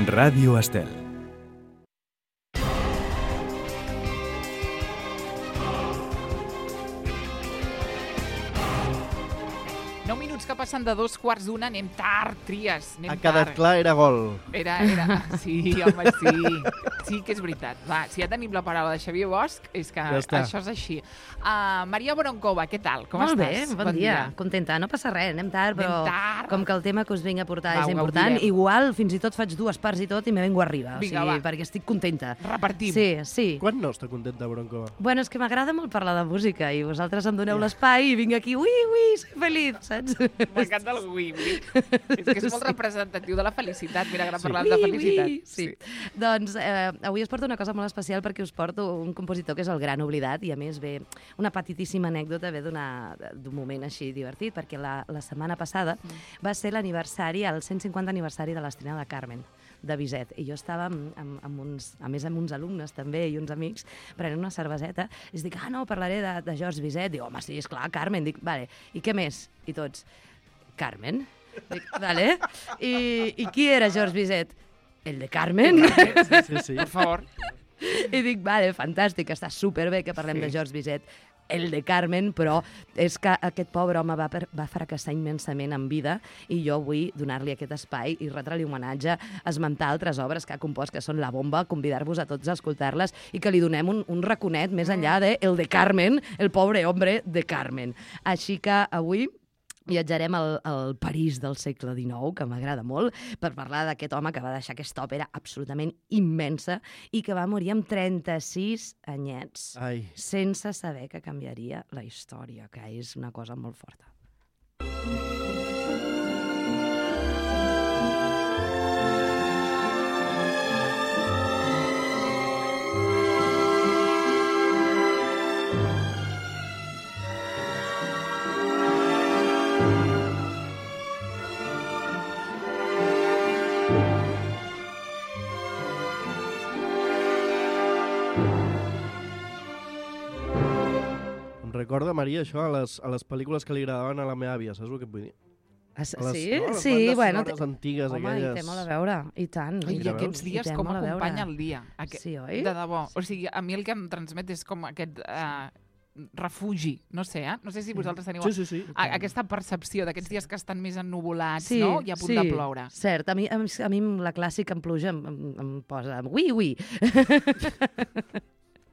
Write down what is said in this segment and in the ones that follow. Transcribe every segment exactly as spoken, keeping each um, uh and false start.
Ràdio Estel. nou minuts que passen de dos quarts d'una, anem tard, Tries, anem Ha quedat tard. clar, era gol. Era, era... Sí, home, sí. Sí que és veritat. Va, si ja tenim la paraula de Xavier Bosch, és que Ja està. això és així. Uh, Maria Boroncova, què tal? Com Molt estàs? bé, bon, dia. dia. Contenta, no passa res, anem tard, però Anem tard. com que el tema que us vinc a portar Va, és ho important, gaudirem. igual fins i tot faig dues parts i tot i me vengo arriba, Vinga, o sigui, va. perquè estic contenta. Repartim. Sí, sí. Quan no està contenta, Broncova? Bueno, és que m'agrada molt parlar de música i vosaltres em doneu l'espai i vinc aquí, ui, ui, soy feliç, saps? M'encanta el ui, ui. És que és molt Sí. representatiu de la felicitat. Mira, ara Sí. parlant de felicitat. Ui, sí. Doncs eh, avui us porto una cosa molt especial perquè us porto un compositor que és el Gran Oblidat i a més ve una petitíssima anècdota ve d'una- d'un moment així divertit perquè la, la setmana passada Mm. va ser l'aniversari, el cent cinquanta aniversari de l'estrena de Carmen de Bizet, i jo estava amb, amb, amb uns, a més amb uns alumnes també i uns amics prenent una cerveseta i dic, ah no, parlaré de, de George Bizet. Dic, home, sí, esclar, Carmen. Dic, vale, i què més? I tots, Carmen? Dic, vale. I, I qui era George Bizet? El de Carmen. Sí, sí, sí. Per favor. I dic, vale, fantàstic, està superbé que parlem Sí. de George Bizet, el de Carmen, però és que aquest pobre home va, per, va fracassar immensament en vida i jo vull donar-li aquest espai i retre-li homenatge, esmentar altres obres que ha compost, que són la bomba, convidar-vos a tots a escoltar-les i que li donem un, un raconet més enllà de el de Carmen, el pobre hombre de Carmen. Així que avui viatjarem al, al París del segle dinou, que m'agrada molt, per parlar d'aquest home que va deixar aquesta òpera absolutament immensa i que va morir amb trenta-sis anyets, Ai, sense saber que canviaria la història, que és una cosa molt forta. em recorda, Maria, això a les, a les pel·lícules que li agradaven a la meva àvia, saps el que et vull dir? Ah, sí? A les, Sí, no, a les sí, bandes bueno... sonores antigues, Home, aquelles... i té molt a veure, i tant. Ai, I I ja aquests veus? dies I té com molt a veure. acompanya el dia. Aquest, Sí, oi? De debò. O sigui, a mi el que em transmet és com aquest uh, refugi. No sé, eh? No sé si vosaltres teniu Sí, sí, sí. a, aquesta percepció d'aquests dies que estan més ennuvolats, Sí, no? I a punt sí, de ploure. Cert, a mi, a mi, a mi la clàssica en pluja em, em, em posa ui, ui.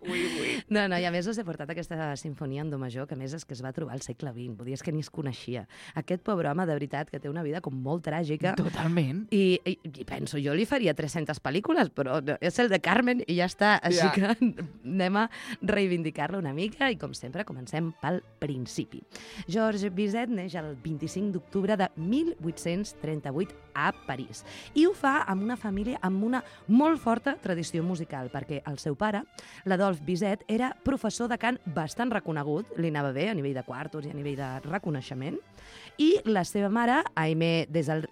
Ui, ui. No, no, i a més us he portat aquesta sinfonia en do major, que a més és que es va trobar al segle vint, vull dir, és que ni es coneixia. Aquest pobre home, de veritat, que té una vida com molt tràgica, Totalment. i, i, i penso, jo li faria tres-centes pel·lícules, però no, és el de Carmen i ja està, així Ja. que anem a reivindicar-lo una mica i, com sempre, comencem pel principi. George Bizet neix el vint-i-cinc d'octubre de mil vuit-cents trenta-vuit a París i ho fa amb una família amb una molt forta tradició musical, perquè el seu pare, l'Adolf Bizet, era professor de cant bastant reconegut, li anava bé a nivell de quartos i a nivell de reconeixement, i la seva mare, Aimé des del...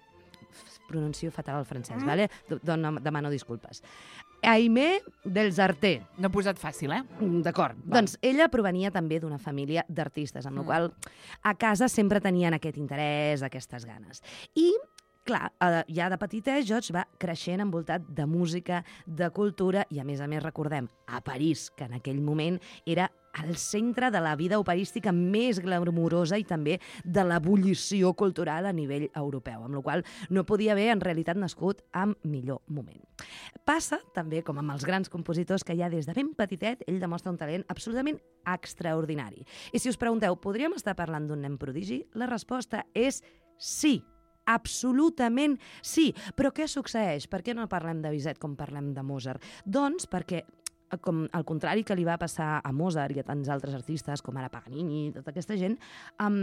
pronuncio fatal el francès, mm. vale? Dona, demano disculpes. Aimé dels Arté. No he posat fàcil, eh? D'acord. Doncs ella provenia també d'una família d'artistes, amb la Mm. qual a casa sempre tenien aquest interès, aquestes ganes. I clar, eh, ja de petitet George va creixent envoltat de música, de cultura i, a més a més, recordem, a París, que en aquell moment era al centre de la vida operística més glamurosa i també de l'ebullició cultural a nivell europeu, amb la qual no podia haver, en realitat, nascut en millor moment. Passa, també, com amb els grans compositors, que ja des de ben petitet ell demostra un talent absolutament extraordinari. I si us pregunteu, podríem estar parlant d'un nen prodigi? La resposta és sí. Absolutament sí. Però què succeeix? Per què no parlem de Bizet com parlem de Mozart? Doncs perquè, com al contrari que li va passar a Mozart i a tants altres artistes, com ara Paganini i tota aquesta gent, um,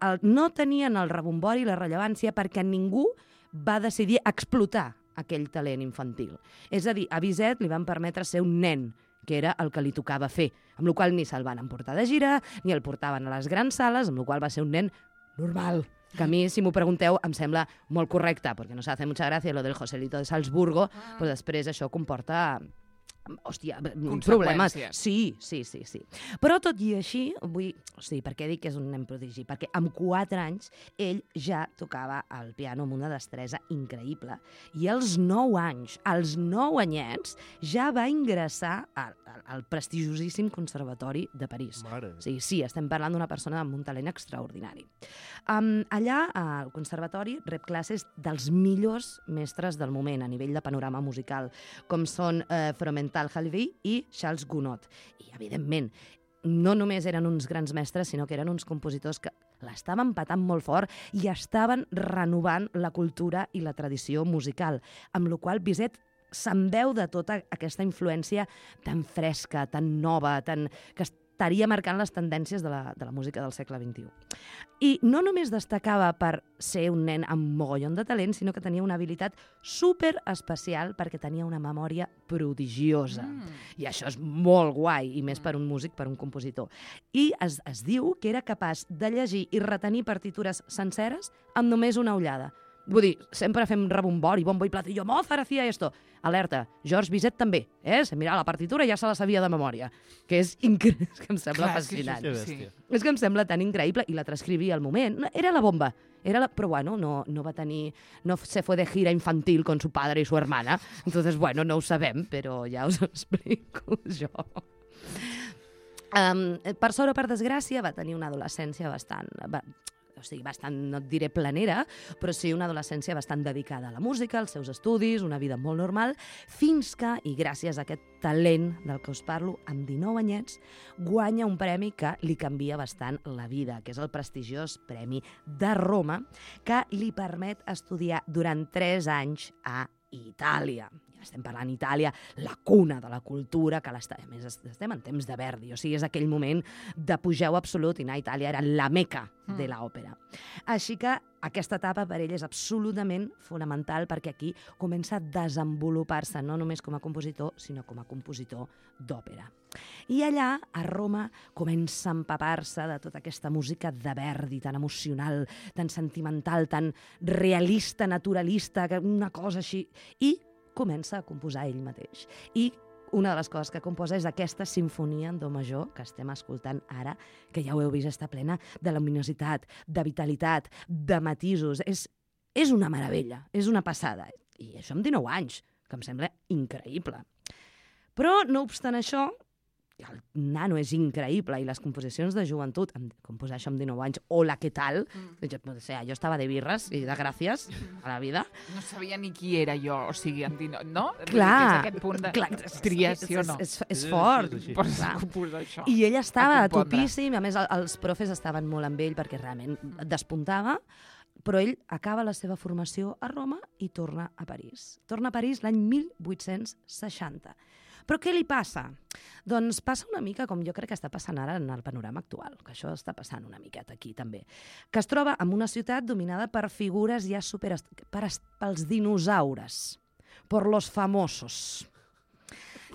el, no tenien el rebombori i la rellevància perquè ningú va decidir explotar aquell talent infantil. És a dir, a Bizet li van permetre ser un nen, que era el que li tocava fer, amb la qual ni se'l van emportar de gira, ni el portaven a les grans sales, amb la qual va ser un nen normal, que a mi, si m'ho pregunteu, em sembla molt correcte, perquè no s'ha de fer mucha gràcia lo del Joselito de Salzburgo, Ah. però després això comporta hòstia, problemes. Conseqüències. Sí, sí, sí, sí. Però tot i així, vull... O sigui, per què dic que és un nen prodigi? Perquè amb quatre anys ell ja tocava el piano amb una destresa increïble i als nou anys, als nou anyets, ja va ingressar al, al prestigiosíssim Conservatori de París. Mare. O sigui, sí, estem parlant d'una persona amb un talent extraordinari. Um, allà, al Conservatori, rep classes dels millors mestres del moment a nivell de panorama musical, com són eh, Fromental Halvi i Charles Gounod. I, evidentment, no només eren uns grans mestres, sinó que eren uns compositors que l'estaven patant molt fort i estaven renovant la cultura i la tradició musical, amb la qual Bizet se'n veu de tota aquesta influència tan fresca, tan nova, tan... que estaria marcant les tendències de la, de la música del segle vint-i-u. I no només destacava per ser un nen amb mogollon de talent, sinó que tenia una habilitat super especial perquè tenia una memòria prodigiosa. Mm. I això és molt guai, i més per un músic, per un compositor. I es, es diu que era capaç de llegir i retenir partitures senceres amb només una ullada. Vull dir, sempre fem rebombori, bombo i platillo, Mozart hacía esto. Alerta, George Bizet també, eh? Mira, la partitura ja se la sabia de memòria, que és increïble, que em sembla Clar, és que fascinant. això Sí. sí. És que em sembla tan increïble, i la transcrivia al moment. Era la bomba, era la... però bueno, no, no va tenir... No se fue de gira infantil con su padre y su hermana, entonces, bueno, no ho sabem, però ja us ho explico jo. Um, per sort o per desgràcia, va tenir una adolescència bastant... Va, o sigui, bastant, no et diré planera, però sí una adolescència bastant dedicada a la música, als seus estudis, una vida molt normal, fins que, i gràcies a aquest talent del que us parlo, amb dinou anyets, guanya un premi que li canvia bastant la vida, que és el prestigiós Premi de Roma, que li permet estudiar durant tres anys a Itàlia. Ja estem parlant d'Itàlia, la cuna de la cultura, que a més estem en temps de Verdi, o sigui, és aquell moment d'apogeu absolut, i anar a Itàlia era la meca de l'òpera. Així que aquesta etapa per ell és absolutament fonamental, perquè aquí comença a desenvolupar-se no només com a compositor, sinó com a compositor d'òpera. I allà, a Roma, comença a empapar-se de tota aquesta música de Verdi, tan emocional, tan sentimental, tan realista, naturalista, una cosa així. I comença a composar ell mateix. I una de les coses que composa és aquesta sinfonia en do major que estem escoltant ara, que ja ho heu vist, està plena de luminositat, de vitalitat, de matisos. És, és una meravella, és una passada. I això amb dinou anys, que em sembla increïble. Però, no obstant això, el nano és increïble i les composicions de joventut, composar això amb dinou anys, hola, què tal? Mm. Jo, o sigui, jo estava de birres i de gràcies a la vida. No sabia ni qui era jo, o sigui, en dinou, no? Clar, És aquest punt de clar, tria, sí o no? És, és, és Sí, fort. sí, sí, sí. Pots Clar. composar això. I ell estava A compondre. topíssim, a més el- els profes estaven molt amb ell perquè realment despuntava, però ell acaba la seva formació a Roma i torna a París. Torna a París l'any mil vuit-cents seixanta. Però què li passa? Doncs passa una mica com jo crec que està passant ara en el panorama actual, que això està passant una miqueta aquí també, que es troba en una ciutat dominada per figures ja super... Per, pels dinosaures, per los famosos.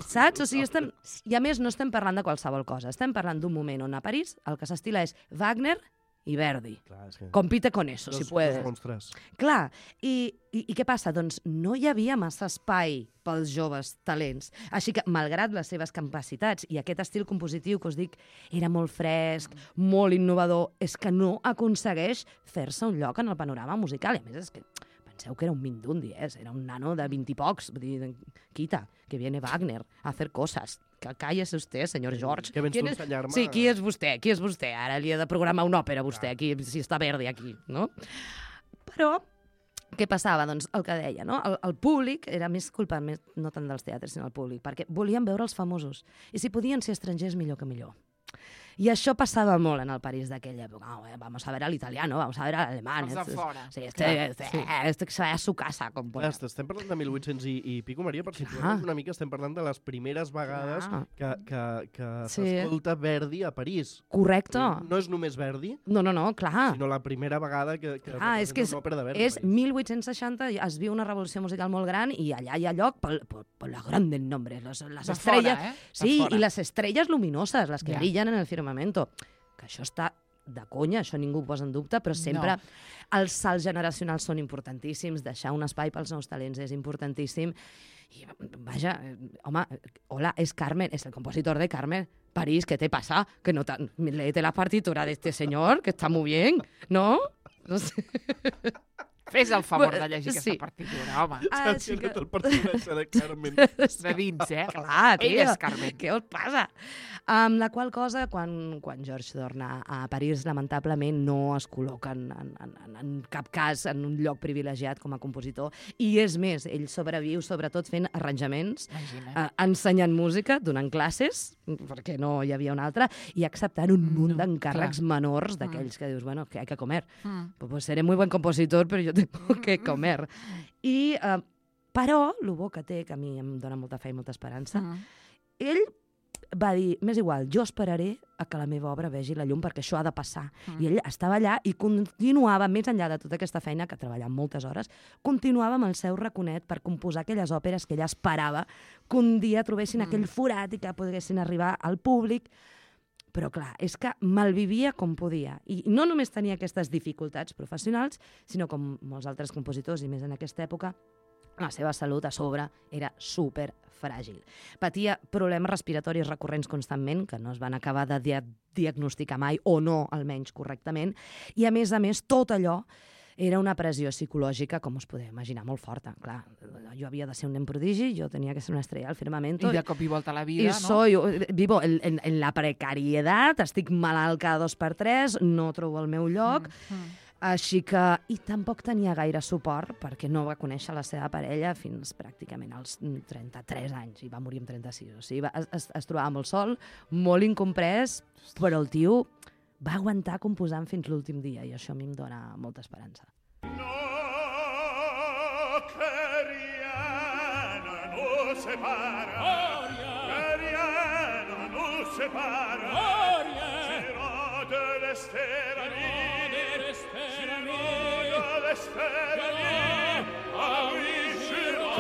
Saps? O sigui, estem... I a més no estem parlant de qualsevol cosa, estem parlant d'un moment on a París el que s'estila és Wagner i Verdi. Clar, és que... Compite con eso, Dos- si puedes. dos monstres. Clar, i, i, i què passa? Doncs no hi havia massa espai pels joves talents. Així que, malgrat les seves capacitats i aquest estil compositiu que us dic era molt fresc, molt innovador, és que no aconsegueix fer-se un lloc en el panorama musical. I a més és que penseu que era un mindundi, eh? Era un nano de vint i pocs. Vull dir, quita, que viene Wagner a hacer cosas. Que cállese usted, senyor George. Que vens ¿Quién tu a es- ensenyar-me- Sí, qui és vostè? Qui és vostè? Ara li he de programar una òpera, vostè, aquí, si està Verdi aquí, no? Però, què passava? Doncs el que deia, no? El, el públic era més culpa, més, no tant dels teatres, sinó el públic, perquè volien veure els famosos. I si podien ser estrangers, millor que millor. I això passava molt en el París d'aquella època. Oh, eh, vamos a ver al italiano, vamos a ver al alemán. Els de fora. Sí, este, Clar, este, sí. este que se vaya a su casa. Com Clar, estem parlant de mil vuit-cents i, i pico, Maria, per situar-nos una mica, estem parlant de les primeres vegades Clar. que, que, que Sí. s'escolta Verdi a París. Correcte. No és només Verdi, No, no, no, clar. sinó la primera vegada que, que Ah, és que és, una òpera de Verdi. és a París. mil vuit-cents seixanta, es viu una revolució musical molt gran i allà hi ha lloc per, per, per los grandes nombres, les, les De estrelles. fora, eh? De Sí, fora. i les estrelles luminoses, les que Ja. brillen en el firmamento. Que això està de conya, això ningú ho posa en dubte, però sempre No. els salts generacionals són importantíssims, deixar un espai pels nous talents és importantíssim, I, vaja, home, hola, es Carmen, es el compositor de Carmen. París, ¿qué te pasa? Que no te, léete la partitura de este señor, que está muy bien, ¿no? No sé. Fes el favor de llegir Sí. aquesta partitura, home. Ah, Saps sí que... que- el personatge de Carmen. De dins, eh? Clar, Ell tia, és Carmen. què us passa? Amb la qual cosa, quan, quan George torna a París, lamentablement no es col·loca en, en, en, en cap cas en un lloc privilegiat com a compositor. I és més, ell sobreviu sobretot fent arranjaments, Imagina. eh, ensenyant música, donant classes, perquè no hi havia una altra, i acceptant un munt No, d'encàrrecs clar. menors d'aquells que dius, bueno, que hay que comer. Mm. Pues seré muy buen compositor, però jo tengo que comer. I, eh, però, el bo que té, que a mi em dona molta fe i molta esperança, Mm. ell va dir, m'és igual, jo esperaré a que la meva obra vegi la llum perquè això ha de passar. Mm. I ell estava allà i continuava, més enllà de tota aquesta feina, que treballava moltes hores, continuava amb el seu raconet per composar aquelles òperes que ella esperava que un dia trobessin Mm. aquell forat i que poguessin arribar al públic. Però clar, és que malvivia com podia. I no només tenia aquestes dificultats professionals, sinó com molts altres compositors, i més en aquesta època, la seva salut a sobre era super fràgil. Patia problemes respiratoris recurrents constantment, que no es van acabar de dia diagnosticar mai, o no, almenys correctament, i a més a més tot allò era una pressió psicològica, com us podeu imaginar, molt forta. Clar, jo havia de ser un nen prodigi, jo tenia que ser una estrella al firmamento. I de cop i volta a la vida, I no? soy, vivo en, en, en la precariedad, estic malalt cada dos per tres, no trobo el meu lloc, Mm. Mm. així que... I tampoc tenia gaire suport, perquè no va conèixer la seva parella fins pràcticament als trenta-tres anys, i va morir amb trenta-sis. O sigui, va, es, es trobava molt sol, molt incomprès, però el tio va aguantar composant fins l'últim dia, i això a mi em dona molta esperança. No, que Rihanna no separa, que Rihanna no separa, Girò de l'Esterami, Girò de l'Esterami, avui Girò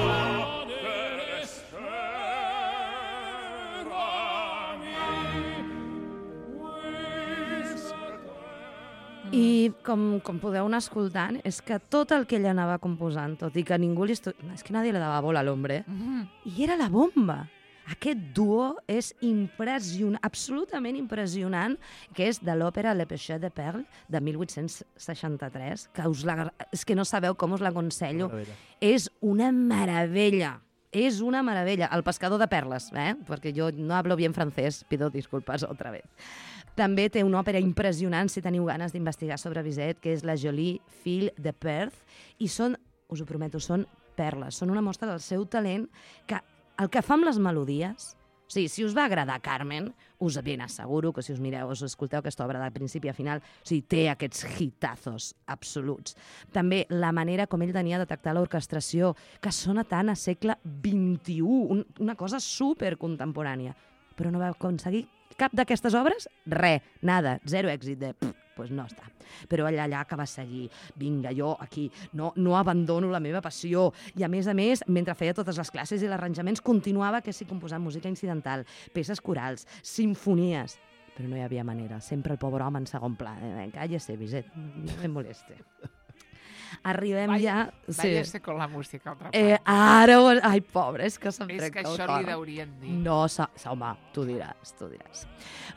de l'Esterami. I com, com podeu anar escoltant, és que tot el que ella anava composant, tot i que ningú li... Estu... És que nadie le daba bola a l'hombre. Mm. I era la bomba. Aquest duo és impressionant, absolutament impressionant, que és de l'òpera Le Péché de Perle, de mil vuit-cents seixanta-tres, que us la... és que no sabeu com us l'aconsello. Meravella. És una meravella. És una meravella. El pescador de perles, eh? Perquè jo no hablo bien francès, pido disculpas otra vez. També té una òpera impressionant, si teniu ganes d'investigar sobre Bizet, que és La Jolie Fille de Perth, i són, us ho prometo, són perles, són una mostra del seu talent, que el que fa amb les melodies, o sigui, si us va agradar Carmen, us ben asseguro que si us mireu, us escolteu aquesta obra de principi a final, o sigui, té aquests hitazos absoluts. També la manera com ell tenia de tractar l'orquestració, que sona tant a segle vint-i-u, un, una cosa supercontemporània, però no va aconseguir cap d'aquestes obres? Re, nada, zero èxit de... Pff, pues no està. Però allà, allà que va seguir, vinga, jo aquí no, no abandono la meva passió. I a més a més, mentre feia totes les classes i els arranjaments, continuava que si composant música incidental, peces corals, sinfonies. Però no hi havia manera, sempre el pobre home en segon pla. Eh, cállese, Bizet, no me moleste. Arribem Vaya, ja... Váyase con la música altra Eh, part. ara... ho- Ai, pobre, és que se'm És que trenca el això cor. li deurien dir. No, sa, sa, home, tu diràs, tu diràs.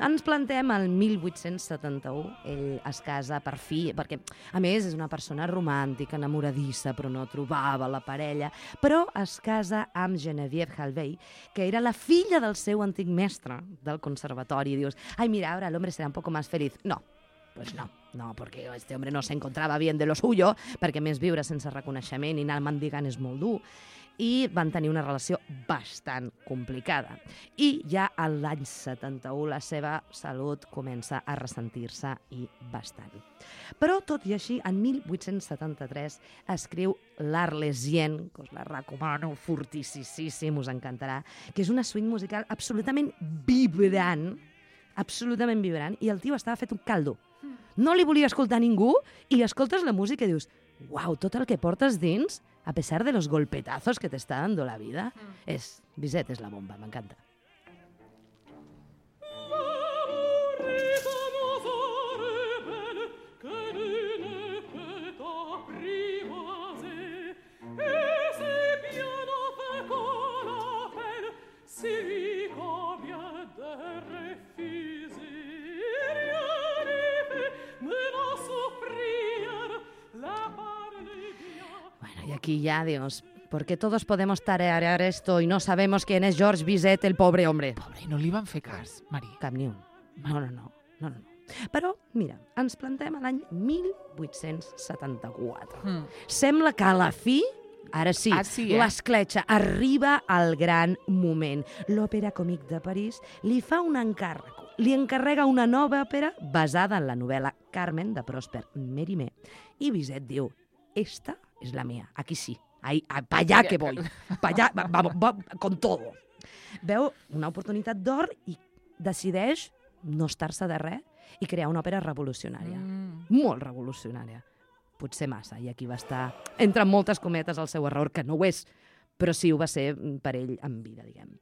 Ens plantem al mil vuit-cents setanta-u, ell es casa per fi, perquè, a més, és una persona romàntica, enamoradissa, però no trobava la parella, però es casa amb Geneviève Halvey, que era la filla del seu antic mestre del conservatori, i dius, ai, mira, ara l'home serà un poco más feliz. No, pues no, no, perquè este hombre no se encontraba bien de lo suyo, perquè més viure sense reconeixement i anar mendigant és molt dur, i van tenir una relació bastant complicada. I ja a l'any setanta-u la seva salut comença a ressentir-se i bastant. Però, tot i així, en mil vuit-cents setanta-tres escriu l'Arlésienne, que us la recomano fortissíssim, us encantarà, que és una suite musical absolutament vibrant, absolutament vibrant, i el tio estava fet un caldo. No li volia escoltar ningú, i escoltes la música i dius, uau, tot el que portes dins, a pesar de los golpetazos que te está dando la vida, és, Bizet és la bomba, m'encanta. Et c'est bien fait comme I aquí ja dius, ¿por qué todos podemos tararear esto y no sabemos quién es George Bizet, el pobre hombre? Pobre, i no li van fer cas, Marí. Cap ni un. No, no, no. no, no. Però, mira, ens plantem a l'any mil vuit-cents setanta-quatre. Mm. Sembla que a la fi, ara sí, Ah, sí, eh? l'escletxa arriba al gran moment. L'Òpera Còmic de París li fa un encàrrec. Li encarrega una nova òpera basada en la novel·la Carmen de Prosper Mérimée. I Bizet diu, esta es la mía, aquí sí. Ahí, pa allá que voy, pa allá, va, va, va, con todo. Veu una oportunitat d'or i decideix no estar-se de res i crear una òpera revolucionària. Mm. Molt revolucionària. Potser massa, i aquí va estar, entre moltes cometes, el seu error, que no ho és, però sí ho va ser per ell en vida, diguem.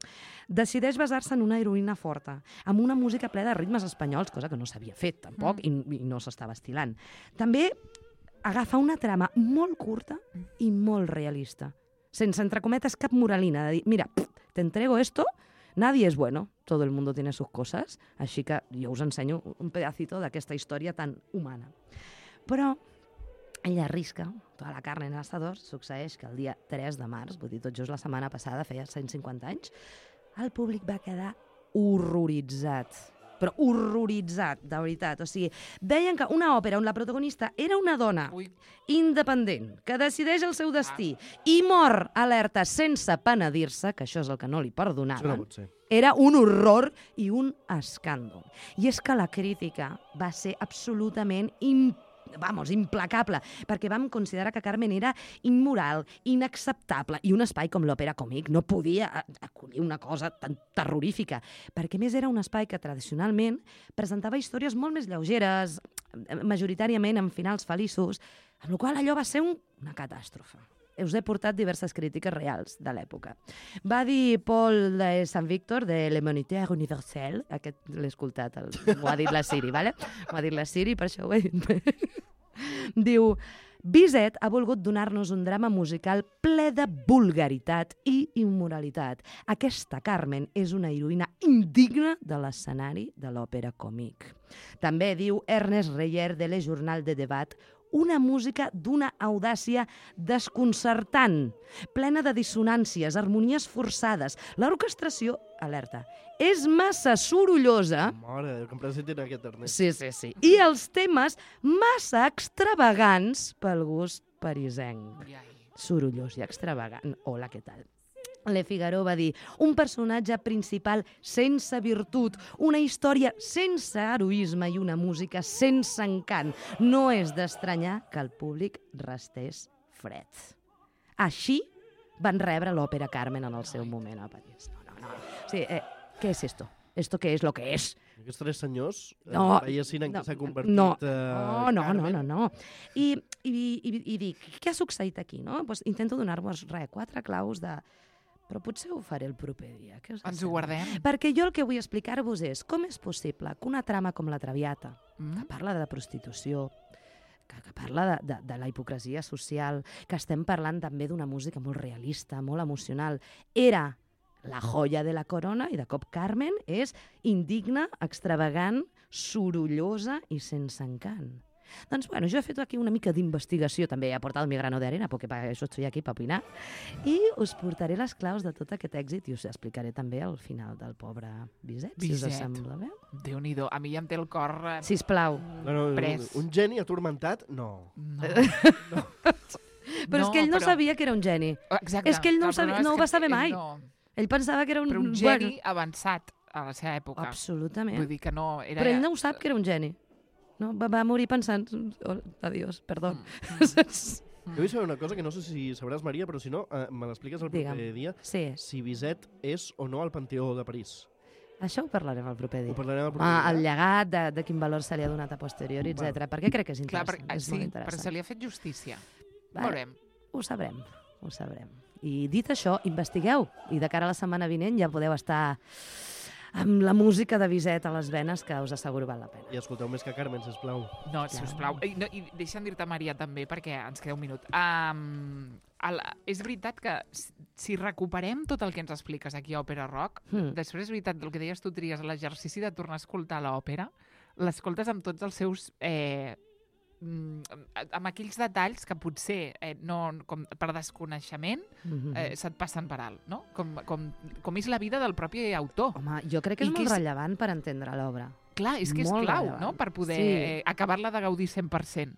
Decideix basar-se en una heroïna forta, amb una música plena de ritmes espanyols, cosa que no s'havia fet, tampoc, mm. i, i no s'estava estilant. També agafa una trama molt curta i molt realista, sense, entre cometes, cap moralina, de dir, mira, pff, te entrego esto, nadie es bueno, todo el mundo tiene sus cosas, així que jo us ensenyo un pedacito d'aquesta història tan humana. Però ella arrisca tota la carn en el asador. Succeeix que el dia tres de març, vull dir, tot just la setmana passada, feia cent cinquanta anys, el públic va quedar horroritzat. Però horroritzat, de veritat. O sigui, veien que una òpera on la protagonista era una dona Ui. independent, que decideix el seu destí i mor alerta sense penedir-se, que això és el que no li Això no perdonaven, pot ser. era un horror i un escàndol. I és que la crítica va ser absolutament imp vamos, implacable, perquè vam considerar que Carmen era immoral, inacceptable, i un espai com l'Òpera Còmic no podia acollir una cosa tan terrorífica, perquè a més era un espai que tradicionalment presentava històries molt més lleugeres, majoritàriament amb finals feliços, amb la qual allò va ser un, una catàstrofe. Us he portat diverses crítiques reals de l'època. Va dir Paul de Sant Víctor, de l'Humanitaire Universelle, aquest l'he escoltat, el, ho ha dit la Siri, ¿vale? Ho ha dit la Siri, per això ho he dit bé. Diu, Bizet ha volgut donar-nos un drama musical ple de vulgaritat i immoralitat. Aquesta Carmen és una heroïna indigna de l'escenari de l'òpera còmic. També diu Ernest Reyer de Le Journal de Debat, una música d'una audàcia desconcertant, plena de dissonàncies, harmonies forçades. L'orquestració, alerta, és massa sorollosa. Mare, que em presentin aquest Ernest. Sí, sí, sí. I els temes massa extravagants pel gust parisenc. Ai, ai. Sorollós i extravagant. Hola, què tal? Le Figaro va dir, un personatge principal sense virtut, una història sense heroisme i una música sense encant. No és d'estranyar que el públic restés fred. Així van rebre l'òpera Carmen en el seu moment a París. No, no, no. Sí, eh, què és esto? ¿Esto qué es lo que es? Aquests tres senyors No, veiessin en no, què s'ha convertit no, eh, no, no, Carmen. no, no, no. I, i, i, i dic, què ha succeït aquí? No? Pues intento donar-vos, res, quatre claus de... Però potser ho faré el proper dia. Què us Ens ho sembla? guardem. Perquè jo el que vull explicar-vos és com és possible que una trama com La Traviata, Mm? que parla de prostitució, que, que parla de, de, de la hipocresia social, que estem parlant també d'una música molt realista, molt emocional, era la joia de la corona i de cop Carmen és indigna, extravagant, sorollosa i sense encant. Doncs, bueno, jo he fet aquí una mica d'investigació, també he aportat mi grano de arena, perquè per això estoy aquí, per opinar, i us portaré les claus de tot aquest èxit i us explicaré també el final del pobre Bizet, si us Bizet. sembla bé. Déu-n'hi-do. A mi ja em té el cor... eh, Sisplau. No, no, Pres. un, un geni atormentat? No. No. Però és que ell no sabia que era un geni. Exacte. És que ell no ho El problema sabia- no és ho que va saber ell mai. No. Ell pensava que era un... Però un geni avançat a la seva època. Bueno, absolutament. Vull dir que no... Era... Però ell no ho sap que era un geni. No? Va, va morir pensant... Oh, adiós, perdó. Mm. Jo vull saber una cosa que no sé si sabràs, Maria, però si no, eh, me l'expliques el proper Digue'm. dia. Sí, Si Bizet és o no al Panteó de París. això ho parlarem el proper dia. Ho parlarem el proper Ah, el dia. llegat, de, de quin valor se li ha donat a posteriori, Val. etcètera. Perquè crec que és Clar, interessant. per, és sí, molt però interessant. se li ha fet justícia. Vale. Veurem. Ho sabrem, ho sabrem. I dit això, investigueu. I de cara a la setmana vinent ja podeu estar amb la música de Bizet a les venes, que us asseguro val la pena. I escolteu més que Carmen, sisplau. No, sisplau. I, no, i deixa'm dir-te, Maria, també, perquè ens queda un minut. Um, el, és veritat que si- si recuperem tot el que ens expliques aquí a Òpera Rock, Hmm. després és veritat el que deies tu, tries l'exercici de tornar a escoltar l'òpera, l'escoltes amb tots els seus eh, amb aquells detalls que potser eh, no, com per desconeixement eh, se't passen per alt, no? Com, com, com és la vida del propi autor. Home, jo crec que és I molt que és- rellevant per entendre l'obra. Clar, és que és Molt clau, rellevant. no?, per poder Sí. eh, acabar-la de gaudir cent per cent.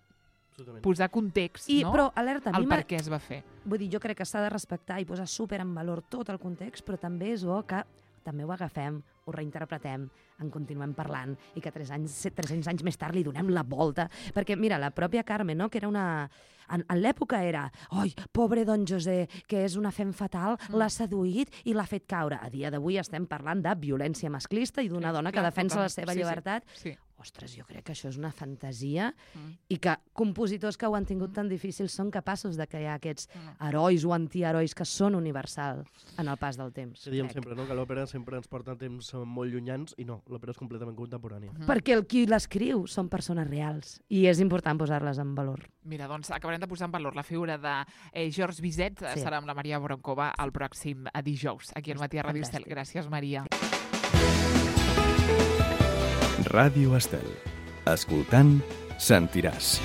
Absolutament. Posar context, I, no?, Però, alerta, a mi el m'ha- per què es va fer. Vull dir, jo crec que s'ha de respectar i posar super en valor tot el context, però també és bo que també ho agafem, ho reinterpretem, en continuem parlant i que tres anys, tres-cents anys més tard li donem la volta. Perquè, mira, la pròpia Carme, no?, que era una... En, en l'època era, oi, pobre don José, que és una fem fatal, mm. l'ha seduït i l'ha fet caure. A dia d'avui estem parlant de violència masclista i d'una Sí, dona clar, que defensa totalment. la seva Sí, sí. llibertat. Sí. Ostres, jo crec que això és una fantasia Mm. i que compositors que ho han tingut tan difícil són capaços de crear aquests Mm. herois o antiherois que són universals en el pas del temps. Que diem crec. sempre, no?, que l'òpera sempre ens porta a temps molt llunyans i no, l'òpera és completament contemporània. Mm. Perquè el qui l'escriu són persones reals i és important posar-les en valor. Mira, doncs acabarem de posar en valor la figura de eh, Georges Bizet, Sí. serà amb la Maria Broncova el pròxim eh, dijous, aquí al Matí a Ràdio Estel. Fantàstic. Gràcies, Maria. Ràdio Estel. Escoltant, sentiràs.